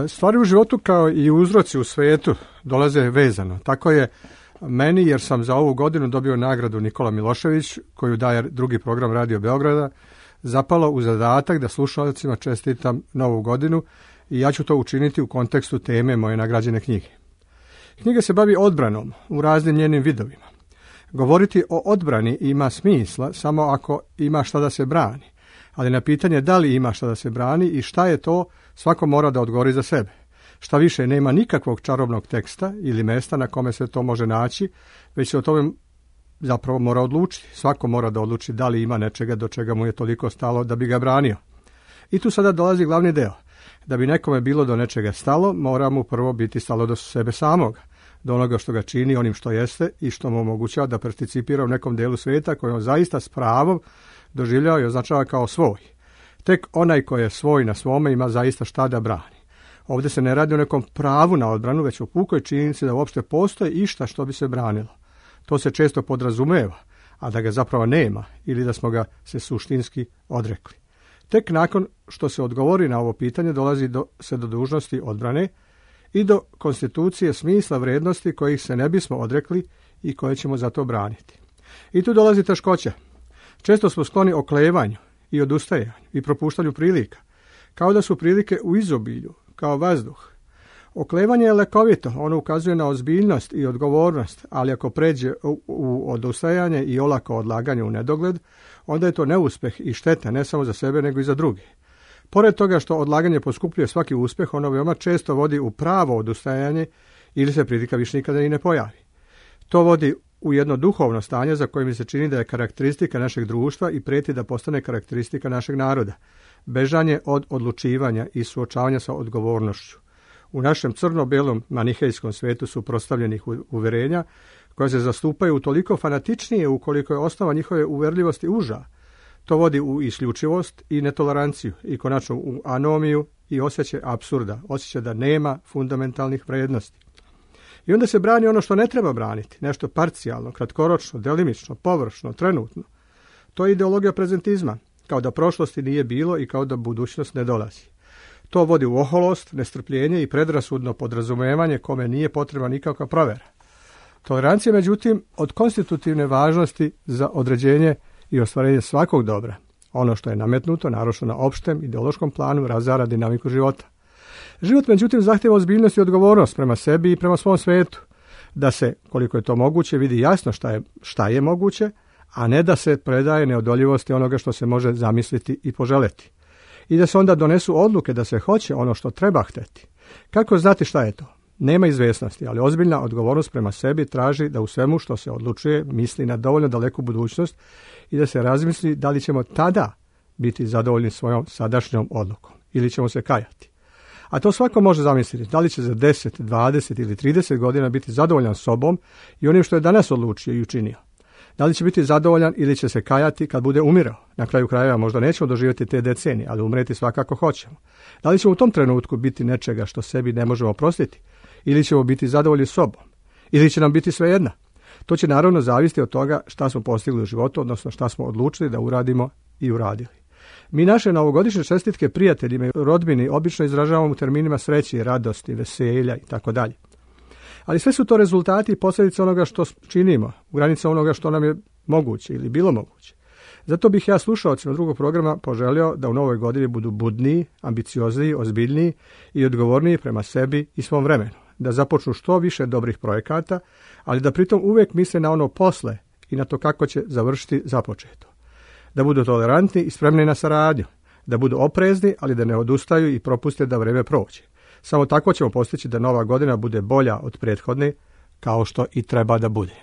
Stvari u životu kao i uzroci u svijetu dolaze vezano. Tako je meni, jer sam za ovu godinu dobio nagradu Nikola Milošević, koju daje drugi program Radio Beograda, zapalo u zadatak da slušalcima čestitam Novu godinu i ja ću to učiniti u kontekstu teme moje nagrađene knjige. Knjiga se bavi odbranom u raznim njenim vidovima. Govoriti o odbrani ima smisla samo ako ima šta da se brani, ali na pitanje da li ima šta da se brani i šta je to, svako mora da odgovori za sebe. Šta više, nema nikakvog čarobnog teksta ili mesta na kome se to može naći, već se o tome zapravo mora odlučiti. Svako mora da odluči da li ima nečega do čega mu je toliko stalo da bi ga branio. I tu sada dolazi glavni deo. Da bi nekome bilo do nečega stalo, mora mu prvo biti stalo do sebe samoga, do onoga što ga čini onim što jeste i što mu omogućava da participira u nekom delu svijeta koji on zaista s pravom doživljava i označava kao svoj. Tek onaj koji je svoj na svome ima zaista šta da brani. Ovdje se ne radi o nekom pravu na odbranu, već o pukoj činjenici da uopšte postoji išta što bi se branilo. To se često podrazumeva, a da ga zapravo nema ili da smo ga se suštinski odrekli. Tek nakon što se odgovori na ovo pitanje dolazi se do dužnosti odbrane i do konstitucije smisla vrijednosti kojih se ne bismo odrekli i koje ćemo zato braniti. I tu dolazi teškoća. Često smo skloni oklevanju i odustajanju i propuštanju prilika, kao da su prilike u izobilju, kao vazduh. Oklevanje je lekovito, ono ukazuje na ozbiljnost i odgovornost, ali ako pređe u odustajanje i olako odlaganje u nedogled, onda je to neuspjeh i šteta ne samo za sebe nego i za druge. Pored toga što odlaganje poskupljuje svaki uspjeh, ono veoma često vodi u pravo odustajanje ili se prilika više nikada i ne pojavi. To vodi u jedno duhovno stanje za koje mi se čini da je karakteristika našeg društva i prijeti da postane karakteristika našeg naroda. Bežanje od odlučivanja i suočavanja sa odgovornošću. U našem crno-belom manihejskom svijetu su prostavljenih uverenja koja se zastupaju toliko fanatičnije ukoliko je osnova njihove uverljivosti uža. To vodi u isključivost i netoleranciju i konačno u anomiju i osjećaj apsurda, osjećaj da nema fundamentalnih vrijednosti. I onda se brani ono što ne treba braniti, nešto parcijalno, kratkoročno, delimično, površno, trenutno. To je ideologija prezentizma, kao da prošlosti nije bilo i kao da budućnost ne dolazi. To vodi u oholost, nestrpljenje i predrasudno podrazumevanje kome nije potrebna nikakva provjera. Tolerancija, međutim, od konstitutivne važnosti za određenje i ostvarenje svakog dobra. Ono što je nametnuto, naročito na opštem ideološkom planu, razara dinamiku života. Život, međutim, zahtjeva ozbiljnost i odgovornost prema sebi i prema svom svijetu. Da se, koliko je to moguće, vidi jasno šta je moguće, a ne da se predaje neodoljivosti onoga što se može zamisliti i poželeti. I da se onda donesu odluke da se hoće ono što treba hteti. Kako znati šta je to? Nema izvjesnosti, ali ozbiljna odgovornost prema sebi traži da u svemu što se odlučuje misli na dovoljno daleku budućnost i da se razmisli da li ćemo tada biti zadovoljni svojom sadašnjom odlukom ili ćemo se kajati. A to svako može zamisliti, da li će za 10, 20 ili 30 godina biti zadovoljan sobom i onim što je danas odlučio i učinio. Da li će biti zadovoljan ili će se kajati kad bude umirao? Na kraju krajeva možda nećemo doživjeti te decenije, ali umreti svakako hoćemo. Da li ćemo u tom trenutku biti nečega što sebi ne možemo oprostiti? Ili ćemo biti zadovoljni sobom? Ili će nam biti svejedno? To će naravno zavisiti od toga šta smo postigli u životu, odnosno šta smo odlučili da uradimo i uradili. Mi naše novogodišnje čestitke prijateljima i rodbini obično izražavamo u terminima sreće, radosti, veselja itd. Ali sve su to rezultati i posljedice onoga što činimo, u granice onoga što nam je moguće ili bilo moguće. Zato bih ja slušaocima drugog programa poželio da u novoj godini budu budniji, ambiciozniji, ozbiljniji i odgovorniji prema sebi i svom vremenu. Da započnu što više dobrih projekata, ali da pritom uvijek misle na ono posle i na to kako će završiti započeto. Da budu tolerantni i spremni na saradnju. Da budu oprezni, ali da ne odustaju i propuste da vrijeme prođe. Samo tako ćemo postići da nova godina bude bolja od prethodne, kao što i treba da bude.